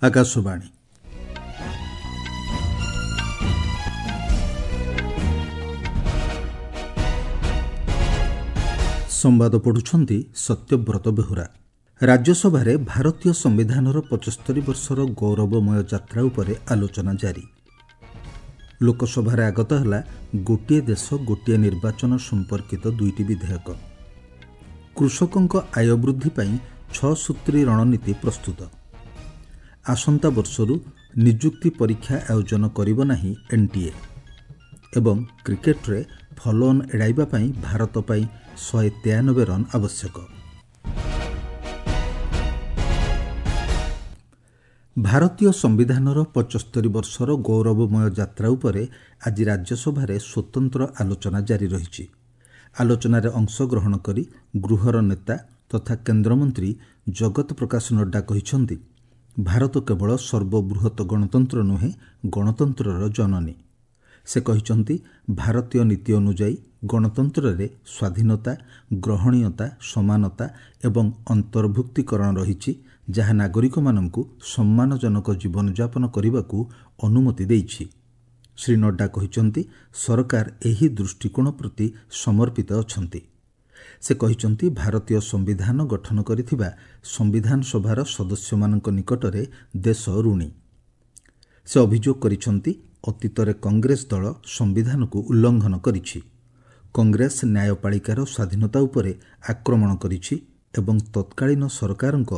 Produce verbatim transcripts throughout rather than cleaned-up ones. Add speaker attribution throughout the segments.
Speaker 1: ଆକାଶବାଣୀ ସମ୍ବାଦ ପଢ଼ୁଛନ୍ତି ସତ୍ୟବ୍ରତ ବେହୁରା। ରାଜ୍ୟସଭାରେ ଭାରତୀୟ ସମ୍ବିଧାନର ପଞ୍ଚସ୍ତରୀ ବର୍ଷର ଗୌରବମୟ ଯାତ୍ରା ଉପରେ ଆଲୋଚନା ଜାରି। ଲୋକସଭାରେ ଆଗତ ହେଲା ଗୋଟିଏ ଦେଶ ଗୋଟିଏ ନିର୍ବାଚନ ସମ୍ପର୍କିତ ଦୁଇଟି ବିଧେୟକ। କୃଷକଙ୍କ ଆୟ ବୃଦ୍ଧି ପାଇଁ ଛଅ ସୂତ୍ରୀ ରଣନୀତି ପ୍ରସ୍ତୁତ। ଆସନ୍ତା ବର୍ଷରୁ ନିଯୁକ୍ତି ପରୀକ୍ଷା ଆୟୋଜନ କରିବ ନାହିଁ ଏନ୍ଟିଏ। ଏବଂ କ୍ରିକେଟରେ ଫଲୋଅନ୍ ଏଡ଼ାଇବା ପାଇଁ ଭାରତ ପାଇଁ ଶହେ ତେୟାନବେ ରନ୍ ଆବଶ୍ୟକ। ଭାରତୀୟ ସମ୍ବିଧାନର ପଞ୍ଚସ୍ତରୀ ବର୍ଷର ଗୌରବମୟ ଯାତ୍ରା ଉପରେ ଆଜି ରାଜ୍ୟସଭାରେ ସ୍ୱତନ୍ତ୍ର ଆଲୋଚନା ଜାରି ରହିଛି। ଆଲୋଚନାରେ ଅଂଶଗ୍ରହଣ କରି ଗୃହର ନେତା ତଥା କେନ୍ଦ୍ରମନ୍ତ୍ରୀ ଜଗତ ପ୍ରକାଶ ନଡ୍ଡା କହିଛନ୍ତି, ଭାରତ କେବଳ ସର୍ବବୃହତ ଗଣତନ୍ତ୍ର ନୁହେଁ, ଗଣତନ୍ତ୍ରର ଜନନୀ। ସେ କହିଛନ୍ତି, ଭାରତୀୟ ନୀତି ଅନୁଯାୟୀ ଗଣତନ୍ତ୍ରରେ ସ୍ୱାଧୀନତା, ଗ୍ରହଣୀୟତା, ସମାନତା ଏବଂ ଅନ୍ତର୍ଭୁକ୍ତୀକରଣ ରହିଛି, ଯାହା ନାଗରିକମାନଙ୍କୁ ସମ୍ମାନଜନକ ଜୀବନଯାପନ କରିବାକୁ ଅନୁମତି ଦେଇଛି। ଶ୍ରୀ ନଡ୍ଡା କହିଛନ୍ତି, ସରକାର ଏହି ଦୃଷ୍ଟିକୋଣ ପ୍ରତି ସମର୍ପିତ ଅଛନ୍ତି। ସେ କହିଛନ୍ତି, ଭାରତୀୟ ସମ୍ବିଧାନ ଗଠନ କରିଥିବା ସମ୍ବିଧାନ ସଭାର ସଦସ୍ୟମାନଙ୍କ ନିକଟରେ ଦେଶ ଋଣୀ। ସେ ଅଭିଯୋଗ କରିଛନ୍ତି, ଅତୀତରେ କଂଗ୍ରେସ ଦଳ ସମ୍ବିଧାନକୁ ଉଲ୍ଲଂଘନ କରିଛି। କଂଗ୍ରେସ ନ୍ୟାୟପାଳିକାର ସ୍ୱାଧୀନତା ଉପରେ ଆକ୍ରମଣ କରିଛି ଏବଂ ତତ୍କାଳୀନ ସରକାରଙ୍କ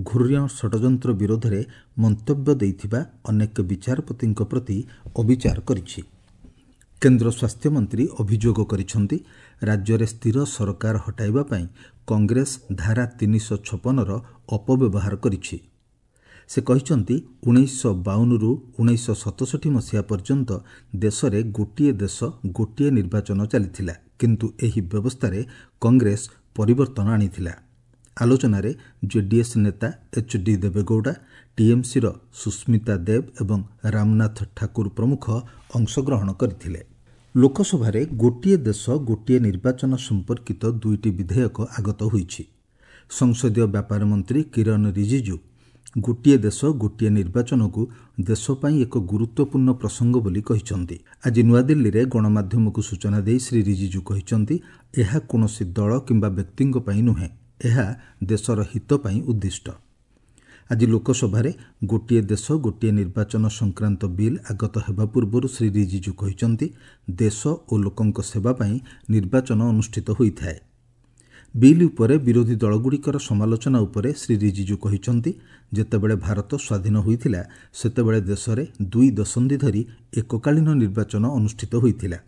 Speaker 1: ଘୃଣ୍ୟ ଷଡ଼ଯନ୍ତ୍ର ବିରୋଧରେ ମନ୍ତବ୍ୟ ଦେଇଥିବା ଅନେକ ବିଚାରପତିଙ୍କ ପ୍ରତି ଅବିଚାର କରିଛି। କେନ୍ଦ୍ର ସ୍ୱାସ୍ଥ୍ୟମନ୍ତ୍ରୀ ଅଭିଯୋଗ କରିଛନ୍ତି, ରାଜ୍ୟରେ ସ୍ଥିର ସରକାର ହଟାଇବା ପାଇଁ କଂଗ୍ରେସ ଧାରା ତିନିଶହ ଛପନର ଅପବ୍ୟବହାର କରିଛି। ସେ କହିଛନ୍ତି, ଉଣେଇଶହ ବାଉନରୁ ଉଣେଇଶହ ସତଷଠି ମସିହା ପର୍ଯ୍ୟନ୍ତ ଦେଶରେ ଗୋଟିଏ ଦେଶ ଗୋଟିଏ ନିର୍ବାଚନ ଚାଲିଥିଲା, କିନ୍ତୁ ଏହି ବ୍ୟବସ୍ଥାରେ କଂଗ୍ରେସ ପରିବର୍ତ୍ତନ ଆଣିଥିଲା। ଆଲୋଚନାରେ ଜେଡିଏସ୍ ନେତା ଏଚ୍ ଡି ଦେବେଗୌଡ଼ା, ଟିଏମ୍ସିର ସୁସ୍ମିତା ଦେବ ଏବଂ ରାମନାଥ ଠାକୁର ପ୍ରମୁଖ ଅଂଶଗ୍ରହଣ କରିଥିଲେ। ଲୋକସଭାରେ ଗୋଟିଏ ଦେଶ ଗୋଟିଏ ନିର୍ବାଚନ ସମ୍ପର୍କିତ ଦୁଇଟି ବିଧେୟକ ଆଗତ ହୋଇଛି। ସଂସଦୀୟ ବ୍ୟାପାର ମନ୍ତ୍ରୀ କିରଣ ରିଜିଜୁ ଗୋଟିଏ ଦେଶ ଗୋଟିଏ ନିର୍ବାଚନକୁ ଦେଶ ପାଇଁ ଏକ ଗୁରୁତ୍ୱପୂର୍ଣ୍ଣ ପ୍ରସଙ୍ଗ ବୋଲି କହିଛନ୍ତି। ଆଜି ନୂଆଦିଲ୍ଲୀରେ ଗଣମାଧ୍ୟମକୁ ସୂଚନା ଦେଇ ଶ୍ରୀ ରିଜିଜୁ କହିଛନ୍ତି, ଏହା କୌଣସି ଦଳ କିମ୍ବା ବ୍ୟକ୍ତିଙ୍କ ପାଇଁ ନୁହେଁ, ଏହା ଦେଶର ହିତ ପାଇଁ ଉଦ୍ଦିଷ୍ଟ। ଆଜି ଲୋକସଭାରେ ଗୋଟିଏ ଦେଶ ଗୋଟିଏ ନିର୍ବାଚନ ସଂକ୍ରାନ୍ତ ବିଲ୍ ଆଗତ ହେବା ପୂର୍ବରୁ ଶ୍ରୀ ରିଜିଜୁ କହିଛନ୍ତି, ଦେଶ ଓ ଲୋକଙ୍କ ସେବା ପାଇଁ ନିର୍ବାଚନ ଅନୁଷ୍ଠିତ ହୋଇଥାଏ। ବିଲ୍ ଉପରେ ବିରୋଧୀ ଦଳଗୁଡ଼ିକର ସମାଲୋଚନା ଉପରେ ଶ୍ରୀ ରିଜିଜୁ କହିଛନ୍ତି, ଯେତେବେଳେ ଭାରତ ସ୍ୱାଧୀନ ହୋଇଥିଲା ସେତେବେଳେ ଦେଶରେ ଦୁଇ ଦଶନ୍ଧି ଧରି ଏକକାଳୀନ ନିର୍ବାଚନ ଅନୁଷ୍ଠିତ ହୋଇଥିଲା।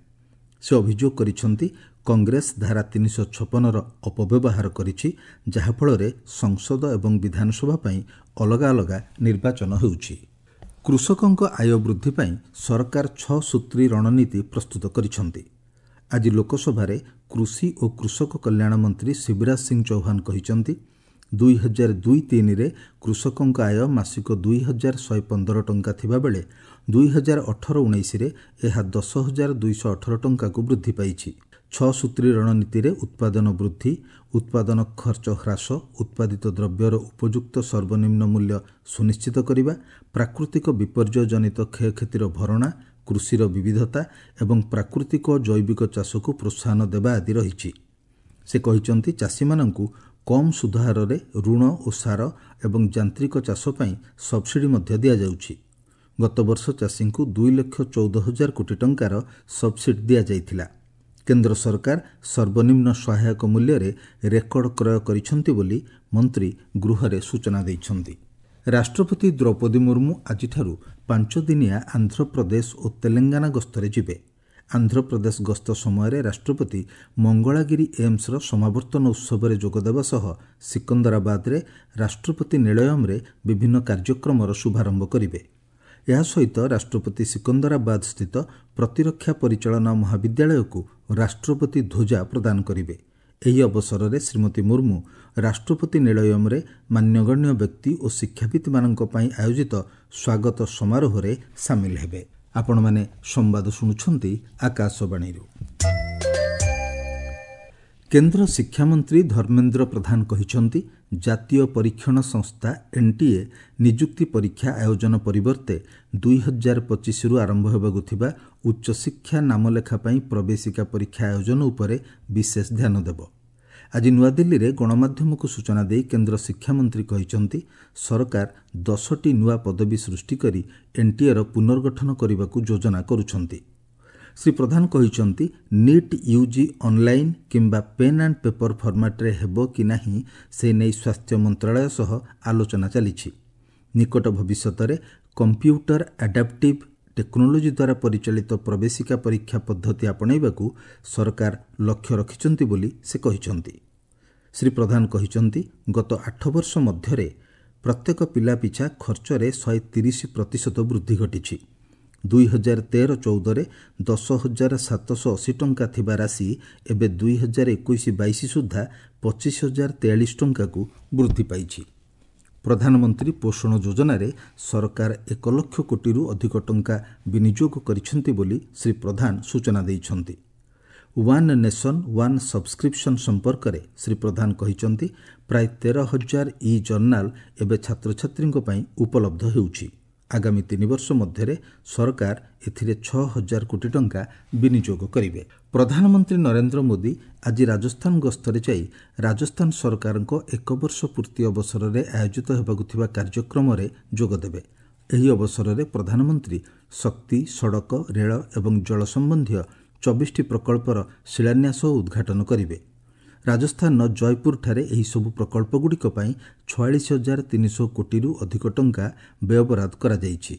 Speaker 1: ସେ ଅଭିଯୋଗ କରିଛନ୍ତି, କଂଗ୍ରେସ ଧାରା ତିନିଶହ ଛପନର ଅପବ୍ୟବହାର କରିଛି, ଯାହାଫଳରେ ସଂସଦ ଏବଂ ବିଧାନସଭା ପାଇଁ ଅଲଗା ଅଲଗା ନିର୍ବାଚନ ହେଉଛି। କୃଷକଙ୍କ ଆୟ ବୃଦ୍ଧି ପାଇଁ ସରକାର ଛଅ ସୂତ୍ରୀ ରଣନୀତି ପ୍ରସ୍ତୁତ କରିଛନ୍ତି। ଆଜି ଲୋକସଭାରେ କୃଷି ଓ କୃଷକ କଲ୍ୟାଣ ମନ୍ତ୍ରୀ ଶିବରାଜ ସିଂ ଚୌହାନ କହିଛନ୍ତି, ଦୁଇ ହଜାର ଦୁଇ ତିନିରେ କୃଷକଙ୍କ ଆୟ ମାସିକ ଦୁଇ ହଜାର ଶହେ ପନ୍ଦର ଟଙ୍କା ଥିବାବେଳେ ଦୁଇ ହଜାର ଅଠର ଉଣେଇଶରେ ଏହା ଦଶ ହଜାର ଦୁଇଶହ ଅଠର ଟଙ୍କାକୁ ବୃଦ୍ଧି ପାଇଛି। ଛଅ ସୂତ୍ରୀ ରଣନୀତିରେ ଉତ୍ପାଦନ ବୃଦ୍ଧି, ଉତ୍ପାଦନ ଖର୍ଚ୍ଚ ହ୍ରାସ, ଉତ୍ପାଦିତ ଦ୍ରବ୍ୟର ଉପଯୁକ୍ତ ସର୍ବନିମ୍ନ ମୂଲ୍ୟ ସୁନିଶ୍ଚିତ କରିବା, ପ୍ରାକୃତିକ ବିପର୍ଯ୍ୟୟ ଜନିତ କ୍ଷୟକ୍ଷତିର ଭରଣା, କୃଷିର ବିବିଧତା ଏବଂ ପ୍ରାକୃତିକ ଓ ଜୈବିକ ଚାଷକୁ ପ୍ରୋତ୍ସାହନ ଦେବା ଆଦି ରହିଛି। ସେ କହିଛନ୍ତି, ଚାଷୀମାନଙ୍କୁ କମ୍ ସୁଧହାରରେ ଋଣ ଓ ସାର ଏବଂ ଯାନ୍ତ୍ରିକ ଚାଷ ପାଇଁ ସବସିଡି ମଧ୍ୟ ଦିଆଯାଉଛି। ଗତବର୍ଷ ଚାଷୀଙ୍କୁ ଦୁଇ ଲକ୍ଷ ଚଉଦ ହଜାର କୋଟି ଟଙ୍କାର ସବସିଡି ଦିଆଯାଇଥିଲା। କେନ୍ଦ୍ର ସରକାର ସର୍ବନିମ୍ନ ସହାୟକ ମୂଲ୍ୟରେ ରେକର୍ଡ କ୍ରୟ କରିଛନ୍ତି ବୋଲି ମନ୍ତ୍ରୀ ଗୃହରେ ସୂଚନା ଦେଇଛନ୍ତି। ରାଷ୍ଟ୍ରପତି ଦ୍ରୌପଦୀ ମୁର୍ମୁ ଆଜିଠାରୁ ପାଞ୍ଚଦିନିଆ ଆନ୍ଧ୍ରପ୍ରଦେଶ ଓ ତେଲେଙ୍ଗାନା ଗସ୍ତରେ ଯିବେ। ଆନ୍ଧ୍ରପ୍ରଦେଶ ଗସ୍ତ ସମୟରେ ରାଷ୍ଟ୍ରପତି ମଙ୍ଗଳାଗିରି ଏମ୍ସର ସମାବର୍ତ୍ତନ ଉତ୍ସବରେ ଯୋଗଦେବା ସହ ସିକନ୍ଦରାବାଦରେ ରାଷ୍ଟ୍ରପତି ନିଳୟମରେ ବିଭିନ୍ନ କାର୍ଯ୍ୟକ୍ରମର ଶୁଭାରମ୍ଭ କରିବେ। ଏହା ସହିତ ରାଷ୍ଟ୍ରପତି ସିକନ୍ଦରାବାଦ ସ୍ଥିତ ପ୍ରତିରକ୍ଷା ପରିଚାଳନା ମହାବିଦ୍ୟାଳୟକୁ ରାଷ୍ଟ୍ରପତି ଧ୍ୱଜା ପ୍ରଦାନ କରିବେ। ଏହି ଅବସରରେ ଶ୍ରୀମତୀ ମୁର୍ମୁ ରାଷ୍ଟ୍ରପତି ନିଳୟମରେ ମାନ୍ୟଗଣ୍ୟ ବ୍ୟକ୍ତି ଓ ଶିକ୍ଷାବିତ୍ମାନଙ୍କ ପାଇଁ ଆୟୋଜିତ ସ୍ୱାଗତ ସମାରୋହରେ ସାମିଲ ହେବେ। ଆପଣମାନେ ସମ୍ବାଦ ଶୁଣୁଛନ୍ତି ଆକାଶବାଣୀରୁ। କେନ୍ଦ୍ର ଶିକ୍ଷାମନ୍ତ୍ରୀ ଧର୍ମେନ୍ଦ୍ର ପ୍ରଧାନ କହିଛନ୍ତି, ଜାତୀୟ ପରୀକ୍ଷଣ ସଂସ୍ଥା ଏନ୍ଟିଏ ନିଯୁକ୍ତି ପରୀକ୍ଷା ଆୟୋଜନ ପରିବର୍ତ୍ତେ ଦୁଇ ହଜାର ପଚିଶରୁ ଆରମ୍ଭ ହେବାକୁ ଥିବା ଉଚ୍ଚଶିକ୍ଷା ନାମଲେଖା ପାଇଁ ପ୍ରବେଶିକା ପରୀକ୍ଷା ଆୟୋଜନ ଉପରେ ବିଶେଷ ଧ୍ୟାନ ଦେବ। ଆଜି ନୂଆଦିଲ୍ଲୀରେ ଗଣମାଧ୍ୟମକୁ ସୂଚନା ଦେଇ କେନ୍ଦ୍ର ଶିକ୍ଷାମନ୍ତ୍ରୀ କହିଛନ୍ତି, ସରକାର ଦଶଟି ନୂଆ ପଦବୀ ସୃଷ୍ଟି କରି ଏନ୍ଟିଏର ପୁନର୍ଗଠନ କରିବାକୁ ଯୋଜନା କରୁଛନ୍ତି। ଶ୍ରୀ ପ୍ରଧାନ କହିଛନ୍ତି, ନିଟ୍ ୟୁଜି ଅନ୍ଲାଇନ୍ କିମ୍ବା ପେନ୍ ଆଣ୍ଡ ପେପର ଫର୍ମାଟ୍ରେ ହେବ କି ନାହିଁ ସେ ନେଇ ସ୍ୱାସ୍ଥ୍ୟ ମନ୍ତ୍ରଣାଳୟ ସହ ଆଲୋଚନା ଚାଲିଛି। ନିକଟ ଭବିଷ୍ୟତରେ କମ୍ପ୍ୟୁଟର ଆଡାପ୍ଟିଭ୍ ଟେକ୍ନୋଲୋଜି ଦ୍ୱାରା ପରିଚାଳିତ ପ୍ରବେଶିକା ପରୀକ୍ଷା ପଦ୍ଧତି ଆପଣେଇବାକୁ ସରକାର ଲକ୍ଷ୍ୟ ରଖିଛନ୍ତି ବୋଲି ସେ କହିଛନ୍ତି। ଶ୍ରୀ ପ୍ରଧାନ କହିଛନ୍ତି, ଗତ ଆଠ ବର୍ଷ ମଧ୍ୟରେ ପ୍ରତ୍ୟେକ ପିଲା ପିଛା ଖର୍ଚ୍ଚରେ ଶହେ ତିରିଶ ପ୍ରତିଶତ ବୃଦ୍ଧି ଘଟିଛି। ଦୁଇ ହଜାର ତେର ଚଉଦରେ ଦଶ ହଜାର ସାତଶହ ଅଶୀ ଟଙ୍କା ଥିବା ରାଶି ଏବେ ଦୁଇ ହଜାର ଏକୋଇଶ ବାଇଶ ସୁଦ୍ଧା ପଚିଶ ହଜାର ତେୟାଳିଶ ଟଙ୍କାକୁ ବୃଦ୍ଧି ପାଇଛି। ପ୍ରଧାନମନ୍ତ୍ରୀ ପୋଷଣ ଯୋଜନାରେ ସରକାର ଏକ ଲକ୍ଷ କୋଟିରୁ ଅଧିକ ଟଙ୍କା ବିନିଯୋଗ କରିଛନ୍ତି ବୋଲି ଶ୍ରୀ ପ୍ରଧାନ ସୂଚନା ଦେଇଛନ୍ତି। ୱାନ୍ ନେସନ୍ ୱାନ୍ ସବସ୍କ୍ରିପସନ୍ ସମ୍ପର୍କରେ ଶ୍ରୀ ପ୍ରଧାନ କହିଛନ୍ତି, ପ୍ରାୟ ତେର ହଜାର ଇ ଜର୍ଣ୍ଣାଲ ଏବେ ଛାତ୍ରଛାତ୍ରୀଙ୍କ ପାଇଁ ଉପଲବ୍ଧ ହେଉଛି। ଆଗାମୀ ତିନି ବର୍ଷ ମଧ୍ୟରେ ସରକାର ଏଥିରେ ଛଅ ହଜାର କୋଟି ଟଙ୍କା ବିନିଯୋଗ କରିବେ। ପ୍ରଧାନମନ୍ତ୍ରୀ ନରେନ୍ଦ୍ର ମୋଦି ଆଜି ରାଜସ୍ଥାନ ଗସ୍ତରେ ଯାଇ ରାଜସ୍ଥାନ ସରକାରଙ୍କ ଏକ ବର୍ଷ ପୂର୍ତ୍ତି ଅବସରରେ ଆୟୋଜିତ ହେବାକୁ ଥିବା କାର୍ଯ୍ୟକ୍ରମରେ ଯୋଗଦେବେ। ଏହି ଅବସରରେ ପ୍ରଧାନମନ୍ତ୍ରୀ ଶକ୍ତି, ସଡ଼କ, ରେଳ ଏବଂ ଜଳ ସମ୍ବନ୍ଧୀୟ ଚବିଶଟି ପ୍ରକଳ୍ପର ଶିଳାନ୍ୟାସ ଓ ଉଦ୍ଘାଟନ କରିବେ। ରାଜସ୍ଥାନର ଜୟପୁରଠାରେ ଏହିସବୁ ପ୍ରକଳ୍ପଗୁଡ଼ିକ ପାଇଁ ଛୟାଳିଶ ହଜାର ତିନିଶହ କୋଟିରୁ ଅଧିକ ଟଙ୍କା ବ୍ୟୟବରାଦ କରାଯାଇଛି।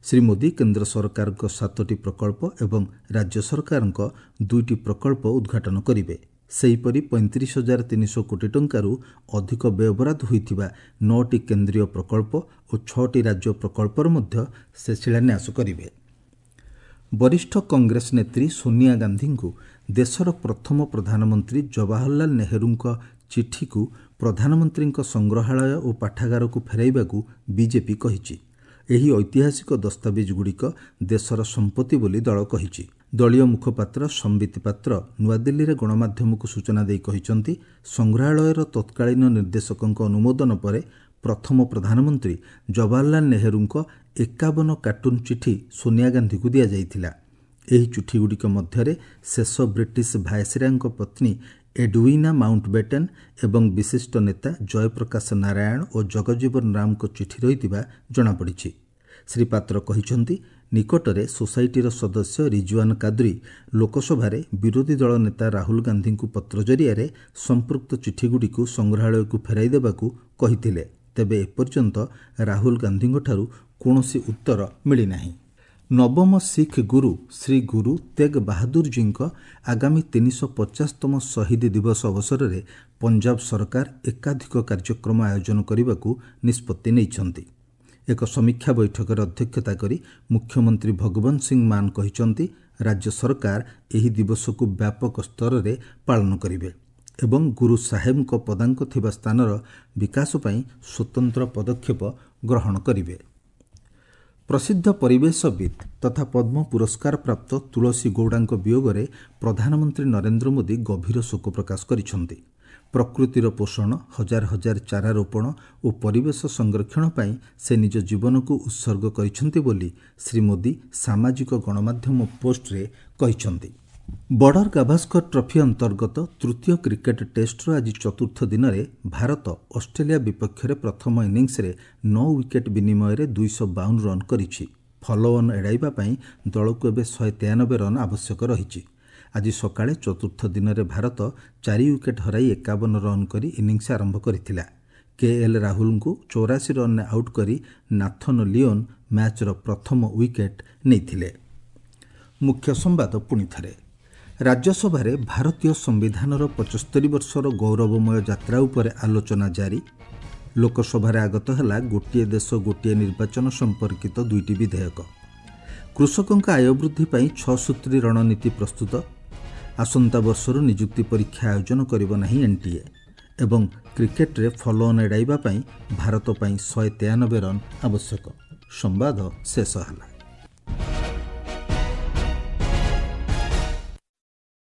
Speaker 1: ଶ୍ରୀ ମୋଦି କେନ୍ଦ୍ର ସରକାରଙ୍କ ସାତଟି ପ୍ରକଳ୍ପ ଏବଂ ରାଜ୍ୟ ସରକାରଙ୍କ ଦୁଇଟି ପ୍ରକଳ୍ପ ଉଦ୍ଘାଟନ କରିବେ। ସେହିପରି ପଇଁତିରିଶ ହଜାର ତିନିଶହ କୋଟି ଟଙ୍କାରୁ ଅଧିକ ବ୍ୟୟବରାଦ ହୋଇଥିବା ନଅଟି କେନ୍ଦ୍ରୀୟ ପ୍ରକଳ୍ପ ଓ ଛଅଟି ରାଜ୍ୟ ପ୍ରକଳ୍ପର ମଧ୍ୟ ସେ ଶିଳାନ୍ୟାସ କରିବେ। ବରିଷ୍ଠ କଂଗ୍ରେସ ନେତ୍ରୀ ସୋନିଆ ଗାନ୍ଧୀଙ୍କୁ ଦେଶର ପ୍ରଥମ ପ୍ରଧାନମନ୍ତ୍ରୀ ଜବାହରଲାଲ ନେହେରୁଙ୍କ ଚିଠିକୁ ପ୍ରଧାନମନ୍ତ୍ରୀଙ୍କ ସଂଗ୍ରହାଳୟ ଓ ପାଠାଗାରକୁ ଫେରାଇବାକୁ ବିଜେପି କହିଛି। ଏହି ଐତିହାସିକ ଦସ୍ତାବିଜଗୁଡ଼ିକ ଦେଶର ସମ୍ପତ୍ତି ବୋଲି ଦଳ କହିଛି। ଦଳୀୟ ମୁଖପାତ୍ର ସମ୍ବିତ ପାତ୍ର ନୂଆଦିଲ୍ଲୀରେ ଗଣମାଧ୍ୟମକୁ ସୂଚନା ଦେଇ କହିଛନ୍ତି, ସଂଗ୍ରହାଳୟର ତତ୍କାଳୀନ ନିର୍ଦ୍ଦେଶକଙ୍କ ଅନୁମୋଦନ ପରେ ପ୍ରଥମ ପ୍ରଧାନମନ୍ତ୍ରୀ ଜବାହରଲାଲ ନେହେରୁଙ୍କ ଏକାବନ କାର୍ଟୁନ୍ ଚିଠି ସୋନିଆ ଗାନ୍ଧୀଙ୍କୁ ଦିଆଯାଇଥିଲା। ଏହି ଚିଠିଗୁଡ଼ିକ ମଧ୍ୟରେ ଶେଷ ବ୍ରିଟିଶ ଭାଇସରାୟଙ୍କ ପତ୍ନୀ ଏଡୱିନା ମାଉଣ୍ଟବେଟେନ୍ ଏବଂ ବିଶିଷ୍ଟ ନେତା ଜୟପ୍ରକାଶ ନାରାୟଣ ଓ ଜଗଜୀବନ ରାମଙ୍କ ଚିଠି ରହିଥିବା ଜଣାପଡ଼ିଛି। ଶ୍ରୀ ପାତ୍ର କହିଛନ୍ତି, ନିକଟରେ ସୋସାଇଟିର ସଦସ୍ୟ ରିଜୱାନ କାଦ୍ରି ଲୋକସଭାରେ ବିରୋଧୀ ଦଳ ନେତା ରାହୁଲ ଗାନ୍ଧୀଙ୍କୁ ପତ୍ର ଜରିଆରେ ସମ୍ପୃକ୍ତ ଚିଠିଗୁଡ଼ିକୁ ସଂଗ୍ରହାଳୟକୁ ଫେରାଇ ଦେବାକୁ କହିଥିଲେ। ତେବେ ଏପର୍ଯ୍ୟନ୍ତ ରାହୁଲ ଗାନ୍ଧୀଙ୍କଠାରୁ କୌଣସି ଉତ୍ତର ମିଳିନାହିଁ। ନବମ ଶିଖ୍ ଗୁରୁ ଶ୍ରୀ ଗୁରୁ ତେଗ୍ ବାହାଦୁରଜୀଙ୍କ ଆଗାମୀ ତିନିଶହ ପଚାଶତମ ଶହୀଦ ଦିବସ ଅବସରରେ ପଞ୍ଜାବ ସରକାର ଏକାଧିକ କାର୍ଯ୍ୟକ୍ରମ ଆୟୋଜନ କରିବାକୁ ନିଷ୍ପତ୍ତି ନେଇଛନ୍ତି। ଏକ ସମୀକ୍ଷା ବୈଠକରେ ଅଧ୍ୟକ୍ଷତା କରି ମୁଖ୍ୟମନ୍ତ୍ରୀ ଭଗବନ୍ତ ସିଂ ମାନ କହିଛନ୍ତି, ରାଜ୍ୟ ସରକାର ଏହି ଦିବସକୁ ବ୍ୟାପକ ସ୍ତରରେ ପାଳନ କରିବେ ଏବଂ ଗୁରୁ ସାହେବଙ୍କ ପଦାଙ୍କ ଥିବା ସ୍ଥାନର ବିକାଶ ପାଇଁ ସ୍ୱତନ୍ତ୍ର ପଦକ୍ଷେପ ଗ୍ରହଣ କରିବେ। ପ୍ରସିଦ୍ଧ ପରିବେଶବିତ୍ ତଥା ପଦ୍ମ ପୁରସ୍କାର ପ୍ରାପ୍ତ ତୁଳସୀ ଗୌଡ଼ାଙ୍କ ବିୟୋଗରେ ପ୍ରଧାନମନ୍ତ୍ରୀ ନରେନ୍ଦ୍ର ମୋଦି ଗଭୀର ଶୋକ ପ୍ରକାଶ କରିଛନ୍ତି। ପ୍ରକୃତିର ପୋଷଣ, ହଜାର ହଜାର ଚାରା ରୋପଣ ଓ ପରିବେଶ ସଂରକ୍ଷଣ ପାଇଁ ସେ ନିଜ ଜୀବନକୁ ଉତ୍ସର୍ଗ କରିଛନ୍ତି ବୋଲି ଶ୍ରୀ ମୋଦି ସାମାଜିକ ଗଣମାଧ୍ୟମ ପୋଷ୍ଟରେ କହିଛନ୍ତି। ବର୍ଡର ଗାଭାସ୍କର ଟ୍ରଫି ଅନ୍ତର୍ଗତ ତୃତୀୟ କ୍ରିକେଟ୍ ଟେଷ୍ଟର ଆଜି ଚତୁର୍ଥ ଦିନରେ ଭାରତ ଅଷ୍ଟ୍ରେଲିଆ ବିପକ୍ଷରେ ପ୍ରଥମ ଇନିଂସରେ ନଅ ୱିକେଟ୍ ବିନିମୟରେ ଦୁଇଶହ ବାଉନ ରନ୍ କରିଛି। ଫଲୋଅନ୍ ଏଡ଼ାଇବା ପାଇଁ ଦଳକୁ ଏବେ ଶହେ ତେୟାନବେ ରନ୍ ଆବଶ୍ୟକ ରହିଛି। ଆଜି ସକାଳେ ଚତୁର୍ଥ ଦିନରେ ଭାରତ ଚାରି ୱିକେଟ୍ ହରାଇ ଏକାବନ ରନ୍ କରି ଇନିଂସ ଆରମ୍ଭ କରିଥିଲା। କେ ଏଲ୍ ରାହୁଲଙ୍କୁ ଚଉରାଶୀ ରନ୍ରେ ଆଉଟ୍ କରି ନାଥନ ଲିଓନ୍ ମ୍ୟାଚ୍ର ପ୍ରଥମ ୱିକେଟ୍ ନେଇଥିଲେ। ମୁଖ୍ୟ ସମ୍ବାଦ ପୁଣିଥରେ। ରାଜ୍ୟସଭାରେ ଭାରତୀୟ ସମ୍ବିଧାନର ପଞ୍ଚସ୍ତରୀ ବର୍ଷର ଗୌରବମୟ ଯାତ୍ରା ଉପରେ ଆଲୋଚନା ଜାରି। ଲୋକସଭାରେ ଆଗତ ହେଲା ଗୋଟିଏ ଦେଶ ଗୋଟିଏ ନିର୍ବାଚନ ସମ୍ପର୍କିତ ଦୁଇଟି ବିଧେୟକ। କୃଷକଙ୍କ ଆୟ ବୃଦ୍ଧି ପାଇଁ ଛଅ ସୂତ୍ରୀ ରଣନୀତି ପ୍ରସ୍ତୁତ। ଆସନ୍ତା ବର୍ଷରୁ ନିଯୁକ୍ତି ପରୀକ୍ଷା ଆୟୋଜନ କରିବ ନାହିଁ ଏନ୍ଟିଏ। ଏବଂ କ୍ରିକେଟରେ ଫଲୋଅନ୍ ଏଡ଼ାଇବା ପାଇଁ ଭାରତ ପାଇଁ ଶହେ ତେୟାନବେ ରନ୍ ଆବଶ୍ୟକ। ସମ୍ବାଦ ଶେଷ ହେଲା।